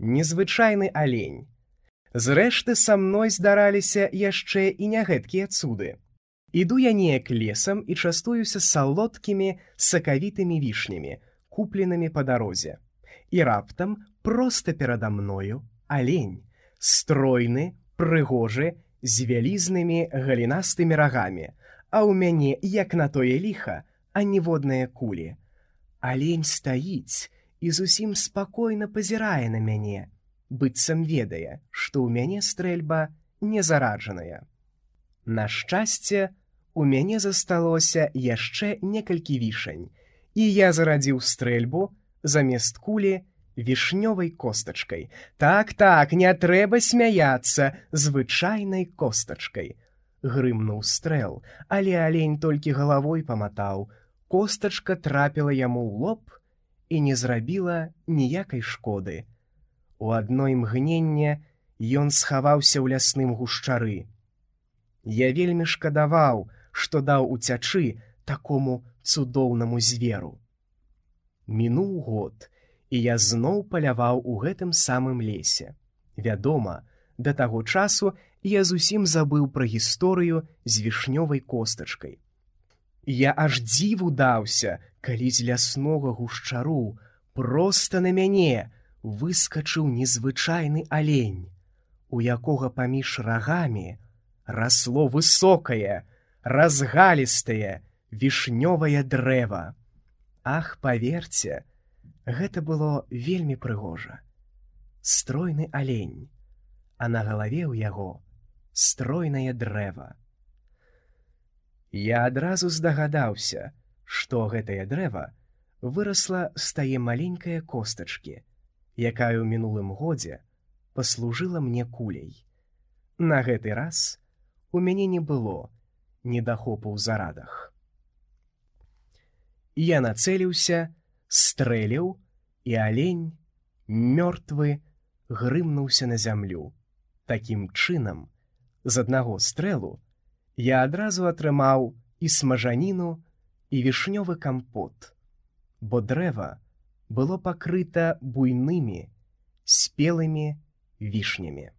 незвычайны алень. Зрэшты, са мной здараліся яшчэ і не гэткія цуды. Іду я неяк лесам і частуюся салодкімі сакавітымі вішнямі, купленымі па дарозе. І раптам проста перада мною алень, стройны, прыгожы, з вялізнымі галінастымі рагамі, а ў мяне, як на тое ліха, аніводныя кулі. Алень стаіць і зусім спакойна пазірае на мяне, быццам ведае, што ў мяне стрэльба не зараджаная. На шчасце, у мяне засталося яшчэ некалькі вішань, і я зарадзіў стрэльбу замест кулі вішнёвай костачкай. Так, не трэба смяяцца, звычайнай костачкай. Грымнуў стрэл, але алень толькі галавой паматаў. Костачка трапіла яму ў лоб і не зрабіла ніякай шкоды. У адно імгненне ён схаваўся ў лясным гушчары. Я вельмі шкадаваў, што даў уцячы такому цудоўнаму зверу. Мінуў год, і я зноў паляваў у гэтым самым лесе. Вядома, да таго часу я зусім забыў пра гісторыю з вішнёвай костачкай. Я аж дзіву даўся, калі з ляснога гушчару проста на мяне выскачыў незвычайны алень, у якога паміж рагамі расло высокае, разгалістае вішнёвае дрэва. Ах, паверце, гэта было вельмі прыгожа. Стройны алень, а на галаве ў яго стройнае дрэва. Я адразу здагадаўся, што гэтае дрэва вырасла з тае маленькае костачкі, якая ў мінулым годзе паслужыла мне куляй. На гэты раз у мяне не было недахопу ў зарадах. Я нацэліўся, стрэліў, і алень, мёртвы, грымнуўся на зямлю. Такім чынам, з аднаго стрэлу я адразу атрымаў і смажаніну, і вішнёвы кампот, бо дрэва было пакрыта буйнымі, спелымі вішнямі.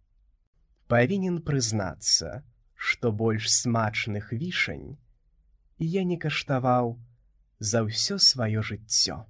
Павінен прызнацца, што больш смачных вішань я не каштаваў за ўсё сваё жыццё.